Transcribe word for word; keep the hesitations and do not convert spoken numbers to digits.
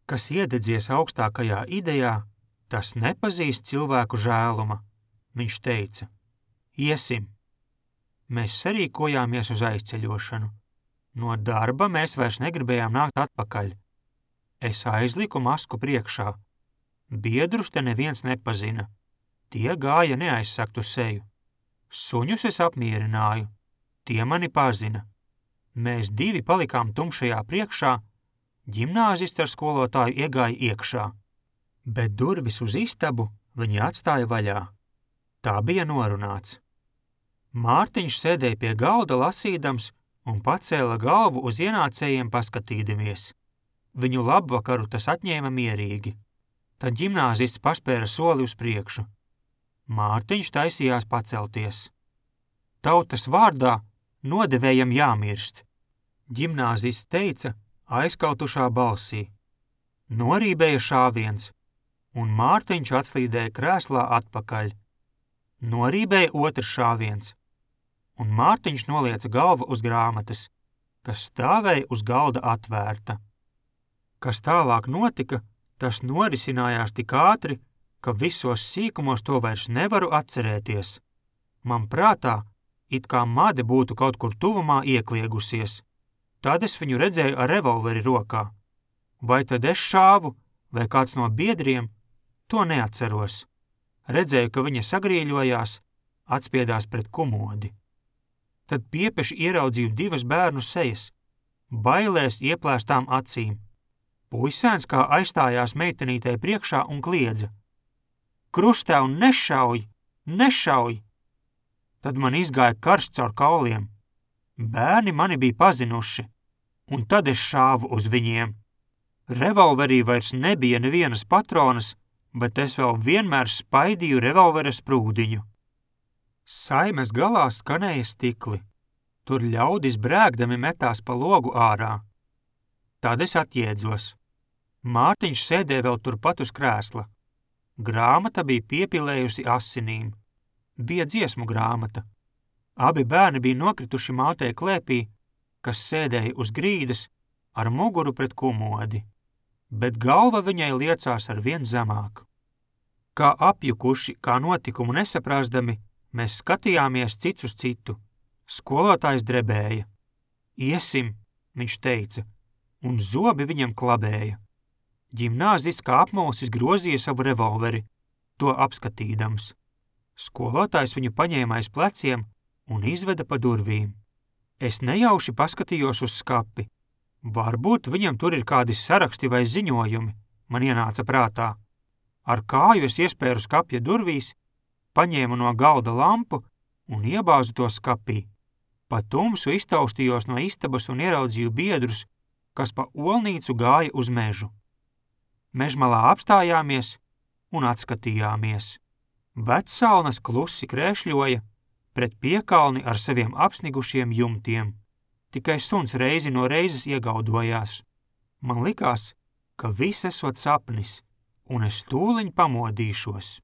Kas iededzies augstākajā idejā, tas nepazīst cilvēku žēluma, viņš teica. Iesim. Mēs sarīkojāmies uz aizceļošanu. No darba mēs vairs negribējām nākt atpakaļ. Es aizliku masku priekšā. Biedrus te neviens nepazina. Tie gāja neaizsaktu seju. Suņus es apmierināju. Tie mani pazina. Mēs divi palikām tumšajā priekšā, ģimnāzists ar skolotāju iegāja iekšā. Bet durvis uz istabu viņi atstāja vaļā. Tā bija norunāts. Mārtiņš sēdēja pie galda lasīdams un pacēla galvu uz ienācējiem paskatīdamies. Viņu labvakaru tas atņēma mierīgi. Tad ģimnāzists paspēra soli uz priekšu. Mārtiņš taisījās pacelties. Tautas vārdā nodevējam jāmirst. Ģimnāzists teica aizkautušā balsī. Norībēja šāviens, un Mārtiņš atslīdēja krēslā atpakaļ. Norībēja otrs šāviens, un Mārtiņš nolieca galvu uz grāmatas, kas stāvēja uz galda atvērta. Kas tālāk notika, tas norisinājās tik ātri, ka visos sīkumos to vairs nevaru atcerēties. Man prātā, it kā made būtu kaut kur tuvumā iekliegusies. Tad es viņu redzēju ar revolveri rokā. Vai tad es šāvu, vai kāds no biedriem, to neatceros. Redzēju, ka viņa sagrīļojās, atspiedās pret komodi. Tad piepeši ieraudzīju divas bērnu sejas, bailēs ieplēstām acīm. Puisēns kā aizstājās meitenītei priekšā un kliedza. Krustēv, nešauj, nešauj! Tad man izgāja karsts caur kauliem. Bērni mani bija pazinuši, un tad es šāvu uz viņiem. Revolverī vairs nebija nevienas patronas, bet es vēl vienmēr spaidīju revolvera sprūdiņu. Saimes galā skanēja stikli. Tur ļaudis brēgdami metās pa logu ārā. Tad es atjēdzos. Mārtiņš sēdēja vēl turpat uz krēsla. Grāmata bija piepilējusi asinīm. Bija dziesmu grāmata. Abi bērni bija nokrituši mātei klēpī, kas sēdēja uz grīdas ar muguru pret komodi, bet galva viņai liecās ar vien zemāk. Kā apjukuši, kā notikumu nesaprāsdami, mēs skatījāmies cits uz citu. Skolotājs drebēja. Iesim, viņš teica, un zobi viņam klabēja. Ģimnāzists kā apmulsis grozīja savu revolveri, to apskatīdams. Skolotājs viņu paņēma aiz pleciem un izveda pa durvīm. Es nejauši paskatījos uz skapi. Varbūt viņam tur ir kādi saraksti vai ziņojumi, man ienāca prātā. Ar kāju es iespēru skapja durvīs, paņēmu no galda lampu un iebāzu to skapī. Pa tumsu iztaustījos no istabas un ieraudzīju biedrus, kas pa olnīcu gāja uz mežu. Mežmalā apstājāmies un atskatījāmies. Vecsalnas klusi krēšļoja pret piekalni ar saviem apsnigušiem jumtiem. Tikai suns reizi no reizes iegaudojās. Man likās, ka viss esot sapnis, un es tūliņ pamodīšos.